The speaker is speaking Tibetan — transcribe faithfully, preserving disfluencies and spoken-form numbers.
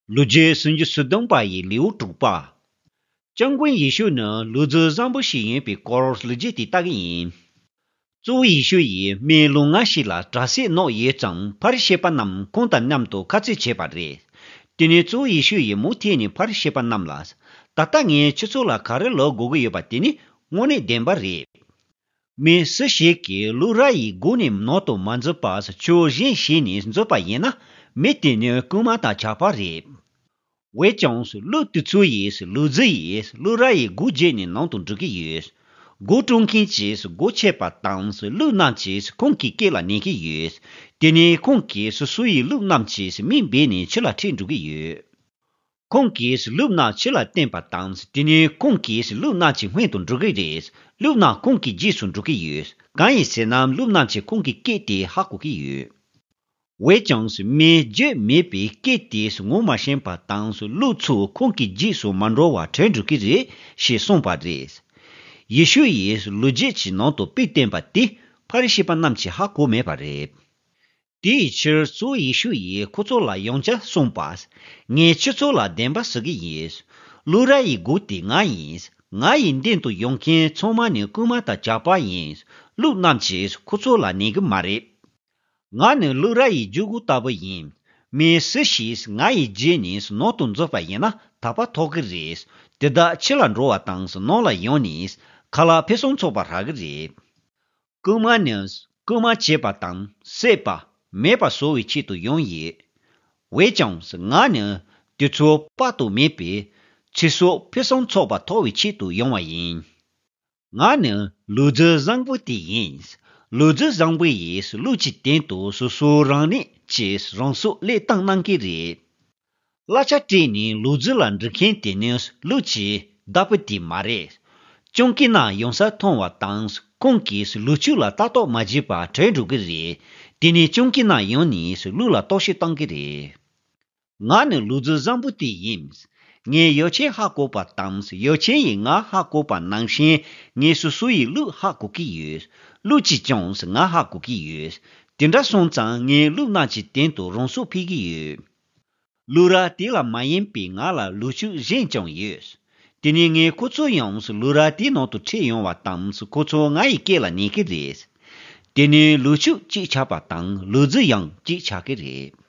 ལོ་རྒྱུས་སུམ་ཅུ་སོ་བདུན་པ་ཡི་ལེའུ་དྲུག་པ། སྐྱབས་མགོན་ཡེ་ཤུ་ནི་ལུག་རྫི་བཟང་པོ་ཞིག་ཡིན་པའི་སྐོར་ལོ་རྒྱུས་དེ་ལྟ་གི་ཡིན། གཙོ་བོ་ཡེ་ཤུ་ཡིས་མི་ལོ་ལྔ་ཞིག་ལ་དྲག་སྐྱེད་གནང་ཡོད་ཙང་ཕ་རི་ཤི་པ་རྣམས་ཁོང་དང་མཉམ་དུ་ཁ་རྩོད་བྱས་པ་རེད། དེ་ནས་གཙོ་བོ་ཡེ་ཤུ་ཡིས་མུ་མཐུད་ནས་ཕ་རི་ཤི་པ་རྣམས་ལ། ད་ལྟ་ངས་ཁྱེད་ཚོ་ལ་ག་རེ་ལབ་དགོས་ཀྱི་ཡོད་པ་དེ་ནི་དངོས་གནས་བདེན་པ་རེད། མི་སུ་ཞིག་གིས་ལུག་ར་ཡི་སྒོ་ནས་ནང་དུ་མ་འཛུལ་བར་ཆོས་གཞན་བྱས་ནས་འཛུལ་བ་ཡིན་ན། མི་དེ་ནི་རྐུན་མ་དང་ཇག་པ་རེད། འོན་ཀྱང་ལུག་དེ་ཚོ་ཡིས་ལུག་རྫི་ཡིས་ལུག་ར་ཡི་སྒོ་བརྒྱབ་ནས་ནང་དུ་འགྲོ་གི་ཡོད། སྒོ་དཀྲོལ་མཁན་གྱིས་སྒོ་ཕྱེ་བ་དང་ལུག་རྣམས་ཀྱིས་ཁོང་གི་སྐེ་ལ་ཉན་གྱི་ཡོད། དེ་ནས་ཁོང་གིས་སོ་སོ་ཡི་ལུག་རྣམས་ཀྱི་མིང་སྦས་ནས་ཕྱི་ལ་ཁྲིད་འགྲོ་གི་ཡོད། ཁོང་གིས་ལུག་རྣམས་ཕྱི་ལ་བཏོན་པ་དང་དེ་ནས་ཁོང་གིས་ལུག་རྣམས་ཀྱི་སྔོན་དུ་འགྲོ་གི་རེད། ལུག་རྣམས་ཁོང་གི་རྗེས་སུ་འགྲོ་གི་ཡོད། གང་ཡིན་ཟེར་ན་ལུག་རྣམས་ཀྱིས་ཁོང་གི་སྐད་དེ་ཧ་གོ་གི་ཡོད། འོན་ཀྱང་མིས་བརྗོད་མེད་པའི་སྐད་དེ་ངོ་མ་ཤེས་པ་དང་ལུག་ཚོ་ཁོང་གི་རྗེས་སུ་མ་འགྲོ་བར་བྲོས་འགྲོ་གི་རེད་ཅེས་གསུངས་པ་རེད། ཡེ་ཤུ་ཡིས་ལོ་རྒྱུས་ཀྱི་ནང་དུ་དཔེ་བསྟན་པ་དེ་ཕ་རི་ཤི་པ་རྣམས་ཀྱིས་ཧ་གོ་མེད་པ་རེད། དེའི་ཕྱིར་གཙོ་བོ་ཡེ་ཤུ་ཡིས་ཁོ་ཚོ་ལ་ཡང་བསྐྱར་གསུངས་པ། ངས་ཁྱེད་ཚོ་ལ་བདེན་པ་ཟེར་གྱི་ཡིན། ལུག་ར་ཡི་སྒོ་དེ་ང་ཡིན། ང་ཡི་མདུན་དུ་ཡོང་མཁན་ཚང་མ་ནི་རྐུན་མ་དང་ཇག་པ་ཡིན། ལུག་རྣམས་ཀྱིས་ཁོ་ཚོ་ལ་ཉན་གྱི་མ་རེད། ང་ནི་ལུག་ར་ཡི་རྒྱུད་སྐུད་ལྟ་བུ་ཡིན། མི་སུ་ཞིག་ང་ཡི་རྗེས་ནས་ནང་དུ་འཛུལ་བ་ཡིན་ན་དག་པ་ཐོབ་ཀྱི་རེད། དེ་དག་ཕྱི་ལ་འགྲོ་བ་དང་ནང་ལ་ཡོང་ནས་ཁ་ལག་ཕུན་སུམ་ཚོགས་པ་རག་གི་རེད། རྐུན་མ་ནི་རྐུན་མ་བྱེད་པ་དང་བསད་པ་མེད་པ་བཟོ་བའི་ཆེད་དུ་ཡོང་ཡོད། འོན་ཀྱང་ང་ནི་དེ་ཚོ་དཔག་ཏུ་མེད་པའི་ཚེ་སྲོག་ཕུན་སུམ་ཚོགས་པ་ཐོབ་པའི་ཆེད་དུ་ཡོང་བ་ཡིན། ང་ནི་ལུག་རྫི་བཟང་པོ་དེ་ཡིན། ལུག་རྫི་བཟང་པོ་ཡིས་ལུག་གི་སྟེང་དུ་སོ་སོ་རང་ཉིད་ཀྱིས་རང་སྲོག་བློས་བཏང་གནང་གི་རེད། གླ་ཆ་སྤྲད་ནས་ལུག་རྫི་ལ་འགྲོ་མཁན་དེ་ནི་ལུག་གི་བདག་པོ་དེ་མ་རེད། སྤྱང་ཀི་རྣམས་ཡོང་ས་མཐོང་བ་དང་ཁོང་གིས་ལུག་ཕྱུགས་ལ་ལྟ་རྟོག་མ་བྱས་པར་བྲོས་འགྲོ་གི་རེད། དེ་ནས་སྤྱང་ཀི་རྣམས་ཡོང་ནས་ལུག་ལ་རྟོག་ཞིབ་གཏོང་གི་རེད། ང་ནི་ལུག་རྫི་བཟང་པོ་དེ་ཡིན། ངས་ཡོ་ཆེན་ཧ་གོ་བ་དང་ཡོ་ཆེན་ཡིས་ང་ཧ་གོ་བ་ནང་བཞིན་ངས་སོ་སོ་ཡི་ལུག་ཧ་གོ་གི་ཡོད། ལུག་གིས་ཀྱང་ང་ཧ་གོ་གི་ཡོད། དེ་འདྲ་སོང་ཙང་ངས་ལུག་རྣམས་ཀྱི་སྟེང་དུ་རང་སྲོག་ཕུལ་གི་ཡོད། ལུག་ར་དེ་ལ་མ་ཡིན་པའི་ང་ལ་ལུག་ཕྱུགས་གཞན་ཀྱང་ཡོད། དེ་ནས་ངས་ཁོ་ཚོ་ཡང་ལུག་ར་དེའི་ནང་དུ་ཁྲིད་ཡོང་བ་དང་ཁོ་ཚོ་ང་ཡི་སྐེ་ལ་ཉན་གི་རེད། དེ་ནས་ལུག་ཕྱུགས་གཅིག་ཆགས་པ་དང་ལུག་རྫི་ཡང་གཅིག་ཆགས་ཀྱི་རེད།